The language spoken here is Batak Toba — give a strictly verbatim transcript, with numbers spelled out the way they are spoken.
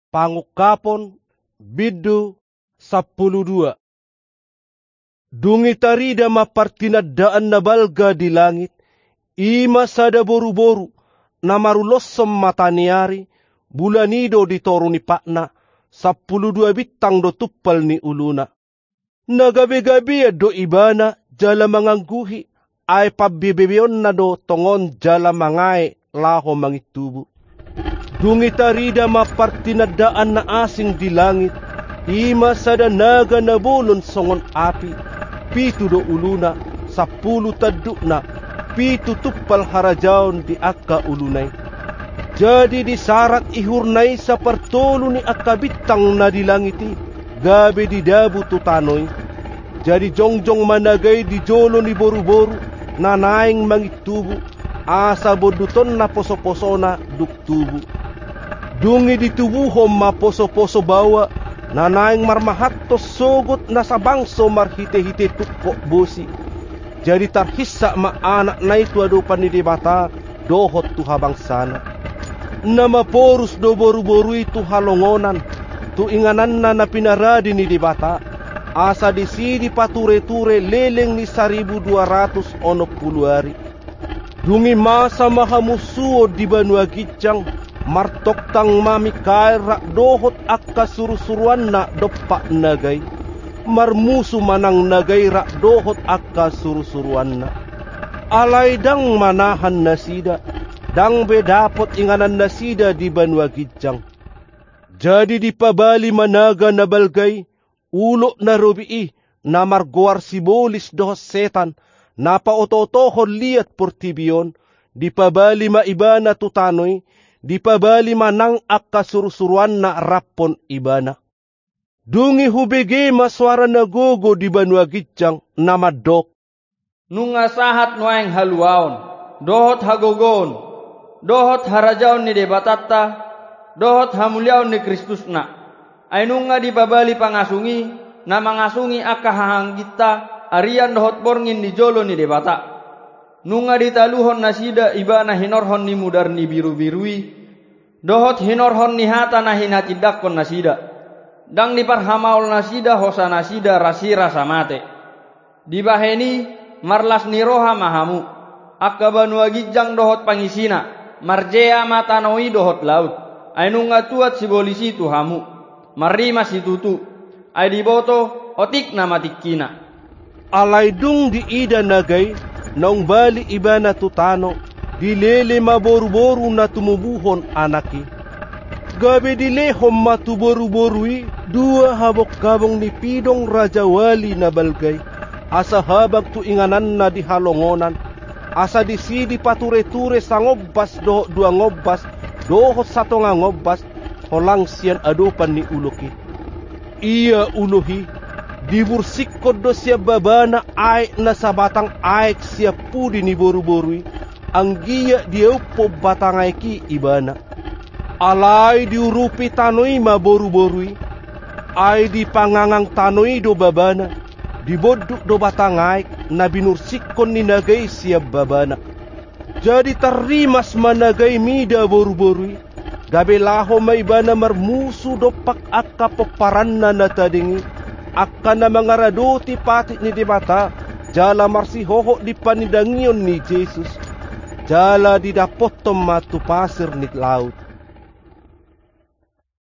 Pangungkapon, bindu sampulu dua. Dung i tarida ma partinandaan na balga di langit, i ma sada boruboru, na maruloshon mata ni ari, bulan i do di toru ni patna, sampulu dua bintang do tumpal ni uluna. Na gabegabean do ibana jala mangangguhi, ai pambebebeonna do tongon jala mangae laho mangintubu. Dung i tarida ma partinandaan na asing di langit, i ma sada naga na bolon songon api, pitu do uluna, sampulu tandukna, pitu tumpal harajaon di angka uluna i. Jadi disarat ihurna i sapartolu ni angka bintang na di langit i, gabe didabu tu tano i. Jadi jongjong ma naga i di jolo ni boruboru, na naeng mangintubu, asa bondutonna posoposona dung tubu. Dung i ditubuhon ma posoposo baoa, na naeng marmahanton sogot na sabangso marhitehite tungkot bosi. Jadi tarhinsa ma anakna i tu adopan ni Debata, dohot tu habangsana. Na maporus do boruboru i tu halongonan, tu ingananna na pinarade ni Debata, asa disi dipatureture leleng ni saribu dua ratus onom pulu ari. Dung i masa ma hamusuon di banua ginjang, martongtang ma Mikael rap dohot angka surusuruanna dompak naga i. Marmusu ma nang naga i rap dohot angka surusuruanna. Alai ndang manahan nasida, ndang be dapot inganannasida di banua ginjang. Jadi dipabali ma naga na balga i, ulok na robi i, na margoar Sibolis dohot Setan, na paotootohon liat portibi on, dipabali ma ibana tu tano i, dipabali ma nang angka surusuruanna raphon ibana. Dung i hubege ma soara na gogo di banua ginjang, na mandok: Nunga sahat nuaeng haluaon, dohot hagogoon, dohot harajaon ni Debatanta, dohot hamuliaon ni Kristusna. Ai nunga dipabali pangasung i, na mangasungi angka hahaangginta, arian dohot borngin di jolo ni Debata. Nunga ditaluhon nasida ibana hinorhon ni mudar ni birubiru i, dohot hinorhon ni hata na hinatindangkon nasida. Ndang diparhamaol nasida hosanasida rasirasa mate. Dibahen i, marlas ni roha ma hamu, angka banua ginjang dohot pangisina, marjea ma tano i dohot laut, ai nunga tuat Sibolis i tu hamu. Marrimas situtu, ai diboto, otik nama tingkina. Alai dung diida naga i, naung bali ibana tu tano, dilele ma boruboru na tumubuhon anak i. Gabe dilehon ma tu boruboru i dua habonghabong ni pidong rajawali na balga i, asa habang tu ingananna di halongonan, asa disi dipatureture sangombas dohot duangombas, dohot satonga ngombas, holang sian adopan ni ulok i. Ia ulok i, dibursikkon do sian babana aek na sabatang aek sian pudi ni boruboru i, anggiat diauphon batang aek i ibana. Alai diurupi tano i ma boruboru i, ai dipangangang tano i do babana, dibondut do batang aek na binursikkon ni naga i sian babana. Jadi tarrimas ma naga i mida boruboru i, gabe laho ma ibana marmusu dompak angka pomparanna na tading i, angka na mangaradoti patik ni Debata, jala marsihohot di panindangion ni Jesus, jala didapothon ma tu pasir ni laut.